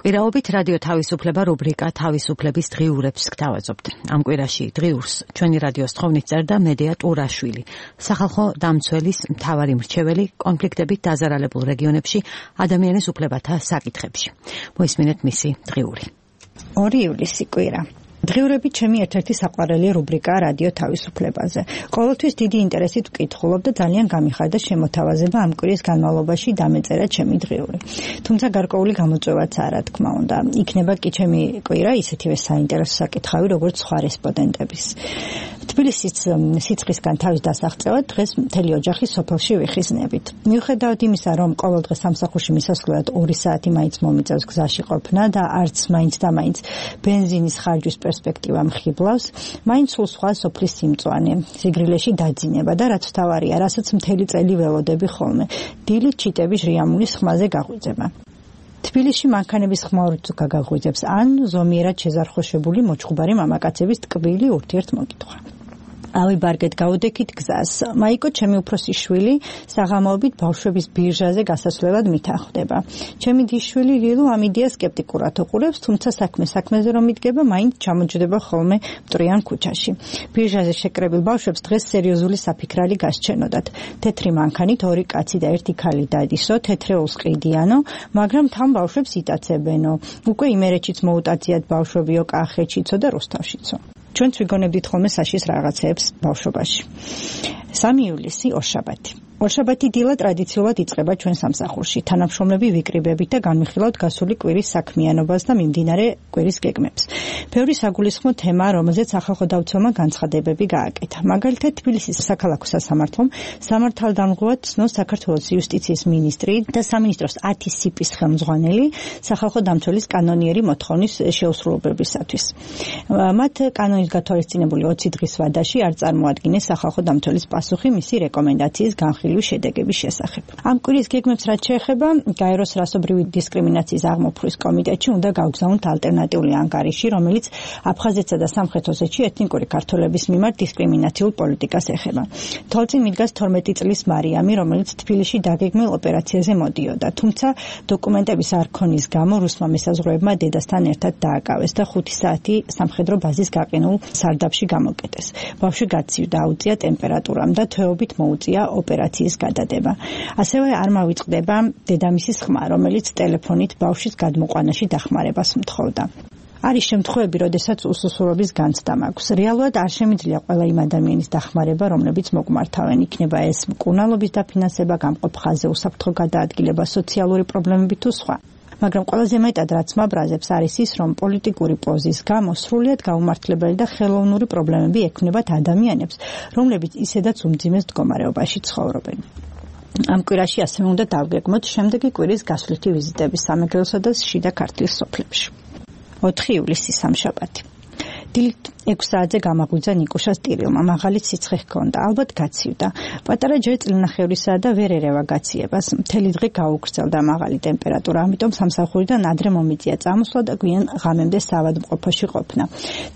კვირაობით რადიო თავისუფლება რუბრიკა თავისუფლების დღიურებს გთავაზობთ. ამ კვირაში დღიურს ჩვენი რადიოს თხოვნით წერდა მედია ტურაშვილი, სახალხო დამცველის მთავარი მრჩეველი კონფლიქტებით დაზარალებულ რეგიონებში ადამიანის უფლებათა საკითხებში. მოისმინეთ მისი დღიური. 2 ივლისი კვირა. დღიურები ჩემი ერთ-ერთი საყვარელი რუბრიკაა რადიო თავისუფლებაზე. ყოველთვის დიდი ინტერესით ვკითხულობ და ძალიან გამიხარდა შემოთავაზება ამ კვირის განმავლობაში დამეწერა ჩემი დღიური. თუმცა გარკვეული გამოწვევაც არა, თქმა უნდა. იქნება კი ჩემი კვირა ისეთივე საინტერესო საკითხავი, როგორც სხვა რესპონდენტების. თბილისის სიცხისგან თავის დასაღწევად დღეს მთელი ოჯახი სოფელში ვიხიზნებით. მიუხედავად იმისა, რომ ყოველ დღე სამსახურში მისასვლელად 2 საათი მაინც მომიწევს გზაში ყოფნა და არც მაინც და მაინც ბენზინის ხარჯვის პერსპექტივა მხიბლავს, მაინც სულ სხვა სოფლის სიმწვანე, სიგრილეში დაძინება და რაც თავარია, რასაც მთელი წელი ველოდები ხოლმე, დილით ჩიტების რიამულის ხმაზე გაღვიძება. თბილისში მანქანების ხმა თუ გაგაღვიძებს, ან ზომიერად შეზარხოშებული მოჩხუბარი მამაკაცების ტკბილი ურთიერთმოკითხვა. ავიბარგეთ გაუდექით გზას. მაიკო ჩემი უფროსი შვილი საღამოობით ბავშვების ბირჟაზე გასასვლელად მითანხმდება. ჩემი დიშვილი ლილუ ამ იდეას სკეპტიკურად უყურებს, თუმცა საქმეზე რომ იდგება, მაინც ჩამოჯდება ხოლმე მტრიან ქუჩაში. ბირჟაზე შეკრებილ ბავშვებს დღეს სერიოზული საფიქრალი გასჩენოდათ. თეთრი მანქანით 2 კაცი და 1 ქალი დადისო, თეთრეულს ყიდიანო, მაგრამ თან ბავშვებს იტაცებენო. უკვე იმერეთშიც მოუტაციათ ბავშვებიო, კახეთშიცო და რუსთავშიცო. ჩვენც ვიგონებდით ხოლმე საშის რაღაცეებს ბავშვობაში. 3 ივლისი ორშაბათი. ორშაბათი დილა ტრადიციულად იწყება ჩვენ სამსახურში. თანამშრომლები ვიკრიბებით და განვიხილავთ გასული კვირის საქმიანობას და მიმდინარე კვირის გეგმებს. ბევრი საგულისხმო თემაა, რომელზეც სახალხო დავცველმა განცხადებები გააკეთა. მაგალითად, თბილისის საქალაქო სასამართლომ სამართალდამღვრად ცნო საქართველოს იუსტიციის მინისტრი და სამინისტროს 10 სიპის ხელმძღვანელი სახალხო დამცველის კანონიერი მოთხოვნის შეუსრულებლობისათვის. მათ კანონის გათვალისწინებული 20 დღის ვადაში არ წარმოადგინეს სახალხო დამცველის პასუხი მისი რეკომენდაციის განხილვის შედეგების შესახებ. ამ კვირის გეგმებს რაც შეეხება, გაეროს რასობრივი დისკრიმინაციის აღმოფხვის კომიტეტში უნდა გავგზავნოთ ალტერნატიული ანგარიში, რომელიც აფხაზეთსა და სამხრეთ ოსეთში ეთნიკური ქართველების მიმართ დისკრიმინაციულ პოლიტიკას ეხება. თვალწინ მიდგას 12 წლის მარიამი, რომელიც თბილისში დაგეგმილ ოპერაციაზე მოდიოდა, თუმცა დოკუმენტების არ ქონის გამო რუსმა მესაზღვრეებმა დედასთან ერთად დააკავეს და 5 საათი სამხედრო ბაზის გაყინულ სარდაფში გამოკეტეს. ბავშვი გაცივდა, აუწია ტემპერატურამ და თვეობით მოუწია ოპერაციის გადადება. ასევე არ მავიწყდება დედამისის ხმა, რომელიც ტელეფონით ბავშვის გადმოყვანაში დახმარებას მთხოვდა. არის შემთხვევები, როდესაც უსუსურობის განცდა მაქვს. რეალურად არ შემიძლია ყველა იმ ადამიანის დახმარება, რომლებიც მოგმართავენ. იქნება ეს მკურნალობის დაფინანსება, გამყოფ ხაზზე უსაფრთხო გადაადგილება, სოციალური პრობლემები თუ სხვა. მაგრამ ყველაზე მეტად რაც მაბრაზებს არის ის, რომ პოლიტიკური პოზის გამო სრულიად გაუმართლებელი და ხელოვნური პრობლემები ექმნებათ ადამიანებს, რომლებიც ისედაც უმძიმეს მდგომარეობაში ცხოვრობენ. ამ კვირაში ასევე უნდა დავგეგმოთ შემდეგი კვირის გასვლითი ვიზიტები სამეგრელოსა და შიდა ქართლის სოფლებში. 4 ივლისი სამშაბათი. დილით 6 საათზე გამაღვიძა ნიკუშას ტირილმა, მაღალი სიცხე ჰქონდა, ალბათ გაცივდა. პატარა ჯერ წლნახევრისაა და ვერ ერევა გაციებას. მთელი დღე გაუგრძელდა მაღალი ტემპერატურა, ამიტომ სამსახურიდან ადრე მომიწია წამოსვლა და გვიან ღამემდე საავადმყოფოში ყოფნა.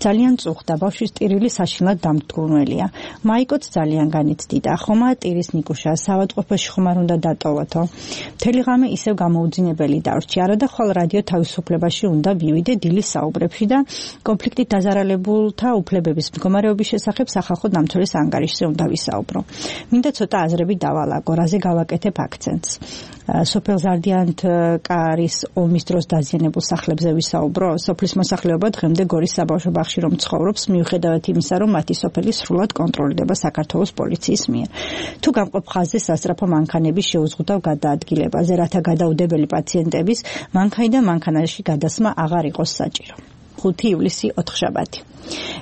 ძალიან წუხდა, ბავშვის ტირილი საშინლად დამტვრუნველია. მაიკოც ძალიან განიცდიდა, ხომა ტირის ნიკუშა, საავადმყოფოში ხომ არ უნდა დატოვოთო. მთელი ღამე ისევ გამოუძინებელი დარჩი, არა და ხვალ რადიო თავისუფლებაში უნდა ვივიდე დილის საუბრებში და კონფლიქტით დაზარალებულ უფლებების მდგომარეობის შესახებ სახალხო დამცველის ანგარიშზე უნდა ვისაუბრო. მინდა ცოტა აზრები დავალაგო, რაზე გავაკეთებ აქცენტს. სოფელ ზარდიანთკარის ომის დროს დაზიანებულ სახლებზე ვისაუბრო. სოფლის მოსახლეობა დღემდე გორის საბავშვო ბაღში რომ ცხოვრობს, მიუხედავად იმისა, რომ მათი სოფელი სრულად კონტროლდება საქართველოს პოლიციის მიერ. თუ გამყოფ ხაზზე სასწრაფო მანქანების შეუზღუდავ გადაადგილებაზე, რათა გადაუდებელი პაციენტების მანქანიდან მანქანაში გადასმა აღარ იყოს საჭირო. 5 ივლისი ოთხშაბათი.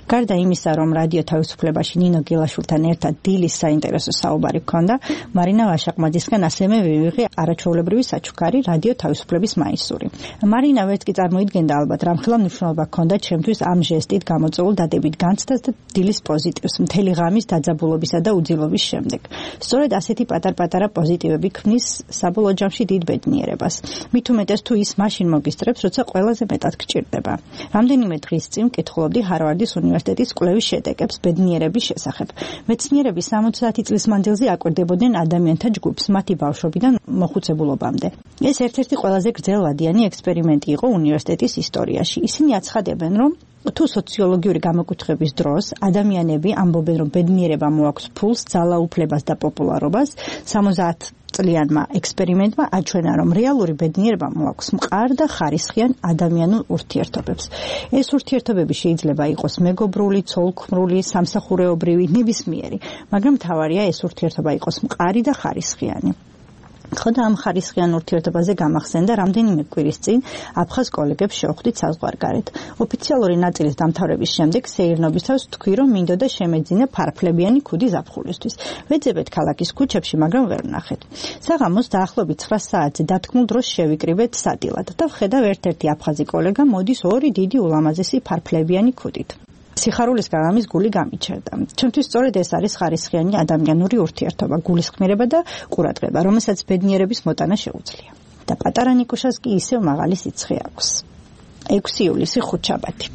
გარდა იმისა, რომ რადიო თავისუფლებაში ნინო გილაშვილთან ერთად დილის საინტერესო საუბარი ჰქონდა, მარინა ვაშაყმაძისგან ასევე ვივიღე არაჩვეულებრივი საჩუქარი რადიო თავისუფლების მაისური. მარინა ვერც კი წარმოიდგენდა ალბათ, რამხელა მნიშვნელობა ჰქონდა ჩემთვის ამ ჟესტით გამოწვეულ დადებით განცდას და დილის პოზიტივს მთელი ღამის დაძაბულობისა და უძილობის შემდეგ. სწორედ ასეთი პატარ-პატარა პოზიტივები ქმნის საბოლოო ჯამში დიდ ბედნიერებას. მით უმეტეს თუ ის მაშინ მოგისწრებს, როცა ყველაზე მეტად გჭირდება. რამდენიმე დღის წინ ვკითხულობდი ჰარვარდის ჰარვარდის უნივერსიტეტის კვლევის შედეგებს ბედნიერების შესახებ. მეცნიერები 70 წლის მანძილზე აკვირდებოდნენ ადამიანთა ჯგუფს მათი ბავშვობიდან მოხუცებულობამდე. ეს ერთ-ერთი ყველაზე გრძელვადიანი ექსპერიმენტი იყო უნივერსიტეტის ისტორიაში. ისინი აცხადებენ, რომ თუ სოციოლოგიური გამოკითხების დროს ადამიანები ამბობენ, რომ ბედნიერება მოაქვს ფულს, ძალაუფლებას და პოპულარობას, 70 წლიანმა ექსპერიმენტმა აჩვენა, რომ რეალური ბედნიერება მოაქვს მყარ და ხარისხიან ადამიანურ ურთიერთობებს. ეს ურთიერთობები შეიძლება იყოს მეგობრული, ცოლ-ქმრული, სამსახურეობრივი, ნებისმიერი, მაგრამ მთავარია ეს ურთიერთობა იყოს მყარი და ხარისხიანი. ხოდა ამ ხარისხიან ურთიერთობაზე გამახსენდა რამდენიმე კვირის წინ აფხაზ კოლეგებს შევხვდით საზღვარგარეთ. ოფიციალური ნაწილის დამთავრების შემდეგ სეირნობისას თქვი, რომ მინდოდა შემეძინა ფარფლებიანი ქუდი ზაფხულისთვის. ვეძებეთ ქალაქის ქუჩებში, მაგრამ ვერ ვნახეთ. საღამოს დაახლოებით 9 საათზე დათქმულ დროს შევიკრიბეთ სადილად და ვხედავ ერთ-ერთი აფხაზი კოლეგა მოდის ორი დიდი ულამაზესი ფარფლებიანი ქუდით. სიხარულისგან ამის გული გამიჩერდა. ჩემთვის სწორედ ეს არის ხარისხიანი ადამიანური ურთიერთობა, გულისხმიერება და ყურადღება, რომელსაც ბედნიერების მოტანა შეუძლია. და პატარა ნიკუშას კი ისევ მაღალი სიცხე აქვს. 6 ივლისი ხუთშაბათი.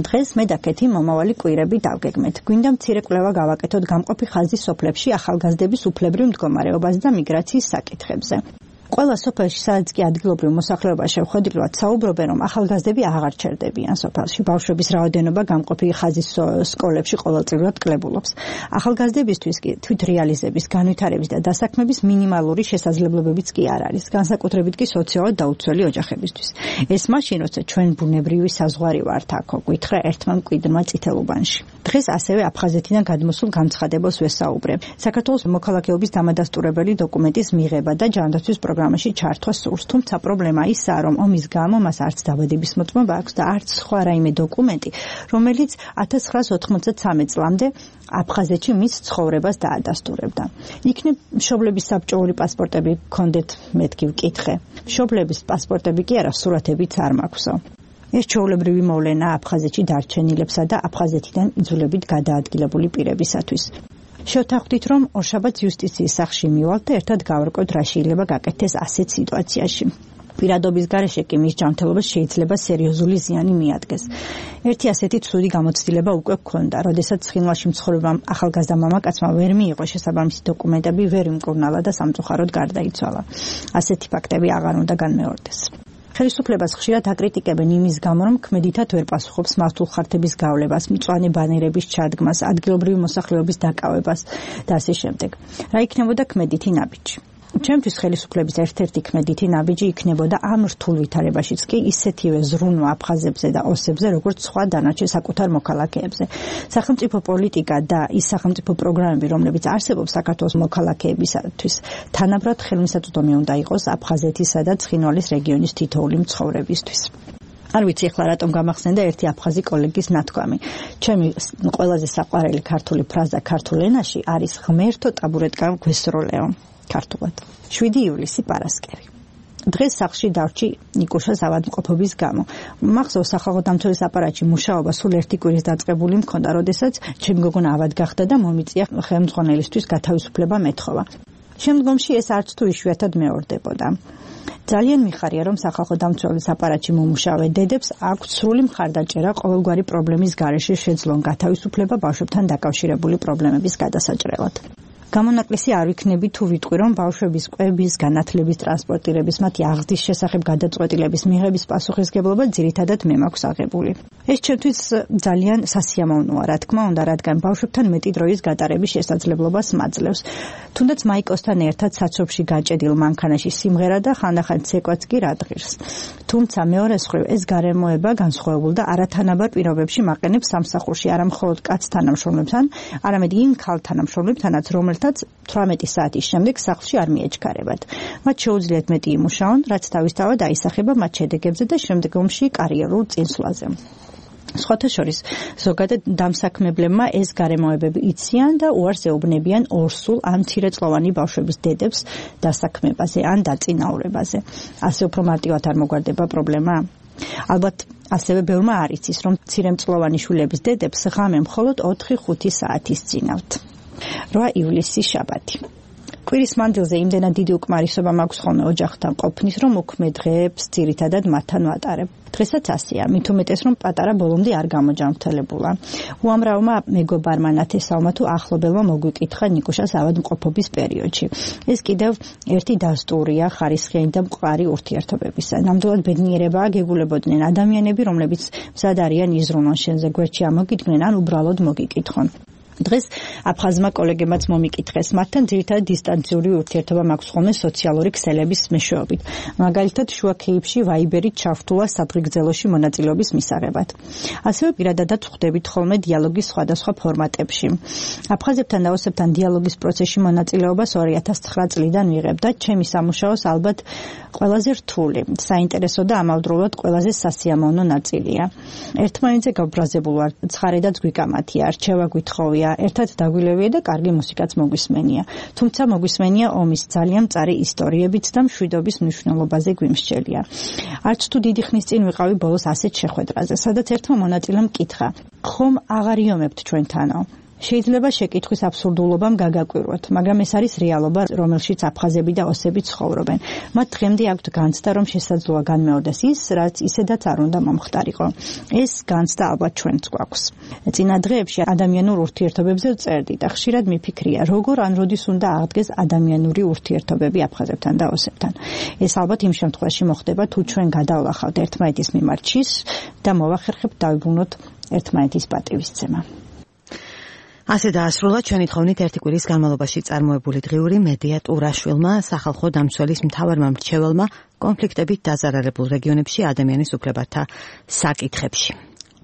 დღეს მე და კეთი მომავალი კვირები დავგეგმეთ. გვინდა მცირე კვლევა გავაკეთოთ გამყოფი ხაზის სოფლებში ახალგაზრდების უფლებრივ მდგომარეობაზე და მიგრაციის საკითხებზე. ყველა სოფელში, სადაც კი ადგილობრივ მოსახლეობა შევხვედრილად საუბრობენ, რომ ახალგაზრდები აღარ ჩერდებიან სოფელში. ბავშვების რაოდენობა გამყოფი ხაზის სკოლებში ყოველწლიურად კლებულობს. ახალგაზრდებისთვის კი თვითრეალიზების, განვითარების და დასაქმების მინიმალური შესაძლებლობებიც კი არ არის, განსაკუთრებით კი სოციალურად დაუცველი ოჯახებისთვის. ეს მაშინ, როცა ჩვენ ბუნებრივი საზღვარი ვართ აქ, გითხრა ერთმა მკვიდრმა წითელუბანში. დღეს ასევე აფხაზეთიდან გადმოსულ განცხადებელს ვესაუბრე. საქართველოს მოქალაქეობის დამადასტურებელი დოკუმენტის მიღება და ჯანდაცვის პროგრამაში ჩართვა სურს, თუმცა პრობლემა ისაა, რომ ომის გამო მას არც დაბადების მოწმობა აქვს და არც სხვა რაიმე დოკუმენტი, რომელიც 1993 წლამდე აფხაზეთში მის ცხოვრებას დაადასტურებდა. იქნებ მშობლების საბჭოური პასპორტები გქონდეთ, მეთქი ვკითხე. მშობლების პასპორტები კი არა, სურათებიც არ მაქვსო. ეს ჩვეულებრივი მოვლენა აფხაზეთში დარჩენილებსა და აფხაზეთიდან იძულებით გადაადგილებული პირებისათვის. შევთანხმდით, რომ ორშაბათს იუსტიციის სახლში მივალთ და ერთად გავარკვევთ, რა შეიძლება გაკეთდეს ასეთ სიტუაციაში. პირადობის გარეშე კი მის ჯანმრთელობას შეიძლება სერიოზული ზიანი მიადგეს. ერთი ასეთი ცუდი გამოცდილება უკვე გქონდა, როდესაც ცხინვალში მცხოვრებამ ახალგაზრდა მამაკაცმა ვერ მიიღო შესაბამისი დოკუმენტები, ვერ იმკურნალა და სამწუხაროდ გარდაიცვალა. ასეთი ფაქტები აღარ უნდა განმეორდეს. ხელისუფლებას ხშირად აკრიტიკებენ იმის გამო, რომ ქმედითად ვერ პასუხობს მართულ ხართების გავლებას, მწვანე ბანერების ჩადგმას, ადგილობრივი მოსახლეობის დაკავებას და ასე შემდეგ. რა იქნებოდა ქმედითი ნაბიჯი? ჩემთვის ხელისუფლების ერთ-ერთი ქმედითი ნაბიჯი იქნებოდა ამ რთულ ვითარებაშიც კი ისეთივე ზრუნვა აფხაზებზე და ოსებზე, როგორც სხვა დანარჩენ საკუთარ მოქალაქეებზე. სახელმწიფო პოლიტიკა და ის სახელმწიფო პროგრამები, რომლებიც არსებობს საქართველოს მოქალაქეებისათვის, თანაბრად ხელმისაწვდომი უნდა იყოს აფხაზეთისა და ცხინვალის რეგიონის თითოეული მცხოვრებისთვის. არ ვიცი ახლა რატომ გამახსენდა ერთი აფხაზი კოლეგის ნათქვამი. ჩემი ყველაზე საყვარელი ქართული ფრაზა ქართულ ენაში არის ღმერთო ტაბურეტკამ გვესროლეო. ქართულად. 7 ივლისი პარასკევი. დღეს სახლში დავრჩი ნიკუშას ავადმყოფობის გამო. მახსოვს სახალხო დამცველის აპარატში მუშაობა სულ ერთი კვირის დაწყებული მქონდა, როდესაც ჩემი გოგონა ავად გახდა და მომიწია ხელმძღვანელისთვის გათავისუფლება მეთხოვა. შემდგომში ეს არც თუ იშვიათად მეორდებოდა. ძალიან მიხარია, რომ სახალხო დამცველის აპარატში მომუშავე დედებს აქვთ სრული მხარდაჭერა ყოველგვარი პრობლემის გარეშე შეძლონ გათავისუფლება ბავშვებთან დაკავშირებული პრობლემების გადასაჭრელად. გამონაკლისი არ ვიქნები თუ ვიტყვი, რომ ბავშვების კვების, განათლების, ტრანსპორტირების, მათი აღზრდის შესახებ გადაწყვეტილების მიღების პასუხისგებლობა ძირითადად მე მაქვს აღებული. ეს ჩემთვის ძალიან სასიამოვნოა, რა თქმა უნდა, რადგან ბავშვებთან მეტი დროის გატარების შესაძლებლობას მაძლევს. თუნდაც მაიკოსთან ერთად საცობში გაჭედილ მანქანაში სიმღერა და ხანდახან ცეკვაც კი რადღირს. თუმცა მეორე მხრივ ეს გარემოება განსხვავებულ და არათანაბარ პირობებში მაყენებს სამსახურში არა მხოლოდ კაც თანამშრომლებთან, არამედ იმ ქალ თანამშრომლებთანაც, რომელთაც 18 საათის შემდეგ სახლში არ მიეჩქარებათ. მათ შეუძლიათ მეტი იმუშაონ, რაც თავისთავად აისახება მათ შედეგებზე და შემდგომში კარიერულ წინსვლაზე. სხვათა შორის, ზოგადად დამსაქმებლებმა ეს გარემოებები იციან და უარს ეუბნებიან ორსულ ან მცირეწლოვანი ბავშვების დედებს დასაქმებაზე ან დაწინაურებაზე. ასე უფრო მარტივად არ მოგვარდება პრობლემა? ალბათ ასევე ბევრმა არ იცის, რომ მცირემწლოვანი შვილების დედებს ღამე მხოლოდ 4-5 საათის წინავთ. 8 ივლისი შაბათი. კვირის მანძილზე იმდენად დიდი უკმარისობა მაქვს ხოლმე ოჯახთან ყოფნის, რომ უქმე დღეებს ძირითადად მათთან ვატარებ. დღესაც ასეა, მით უმეტეს რომ პატარა ბოლომდე არ გამოჯანმრთელებულა. უამრავმა მეგობარმა ნათესავმა თუ ახლობელმა მოგვიკითხა ნიკუშას ავადმყოფობის პერიოდში. ეს კიდევ ერთი დასტურია ხარისხიანი და მყარი ურთიერთობებისა. ნამდვილად ბედნიერებაა გეგულებოდნენ ადამიანები, რომლებიც მზად არიან იზრუნონ შენზე გვერდში ამოგიდგნენ ან უბრალოდ მოგიკითხონ. დღეს აფხაზმა კოლეგებმაც მომიკითხეს, მათთან ძირითადად დისტანციური ურთიერთობა მაქვს ხოლმე სოციალური ქსელების მეშვეობით. მაგალითად, შუა ქეიფში ვაიბერით ჩავთულა სადღეგრძელოში მონაწილეობის მისაღებად. ასევე პირადადაც ვხვდებით ხოლმე დიალოგის სხვადასხვა ფორმატებში. აფხაზებთან და ოსებთან დიალოგის პროცესში მონაწილეობას 2009 წლიდან ვიღებ და ჩემი სამუშაოს ალბათ ყველაზე რთული, საინტერესო და ამავდროულად ყველაზე სასიამოვნო ნაწილია. ერთმანეთზე გაბრაზებულ ვარ, ცხარედაც გვიკამათია, რჩევა გვითხოვია, ერთად დაგვილევია და კარგი მუსიკაც მოგვისმენია. თუმცა მოგვისმენია ომის ძალიან მწარი ისტორიებიც და მშვიდობის მნიშვნელობაზე გვიმსჯელია. არც თუ დიდი ხნის წინ ვიყავი ბოლოს ასეთ შეხვედრაზე, სადაც ერთმა მონაწილემ მკითხა: ხომ აღარ იომებთ ჩვენთანო? შეიძლება შეკითხვის აბსურდულობამ გაგაკვირვოთ, მაგრამ ეს არის რეალობა, რომელშიც აფხაზები და ოსები ცხოვრობენ. მათ დღემდე აქვთ განცდა, რომ შესაძლოა განმეორდეს ის, რაც ისედაც არ უნდა მომხდარიყო. ეს განცდა ალბათ ჩვენც გვაქვს. წინა დღეებში ადამიანურ ურთიერთობებზე ვწერდი და ხშირად მიფიქრია, როგორ ან როდის უნდა აღდგეს ადამიანური ურთიერთობები აფხაზებთან და ოსებთან. ეს ალბათ იმ შემთხვევაში მოხდება, თუ ჩვენ გადავლახავთ ერთმანეთის მიმართ შის და მოვახერხებთ დავიბრუნოთ ერთმანეთის პატივისცემა. ასე დაასრულა ჩვენი თხოვნით ერთი კვირის განმავლობაში წარმოებული დღიური მედია ტურაშვილმა, სახალხო დამცველის მთავარმა მრჩეველმა კონფლიქტებით დაზარალებულ რეგიონებში ადამიანის უფლებათა საკითხებში.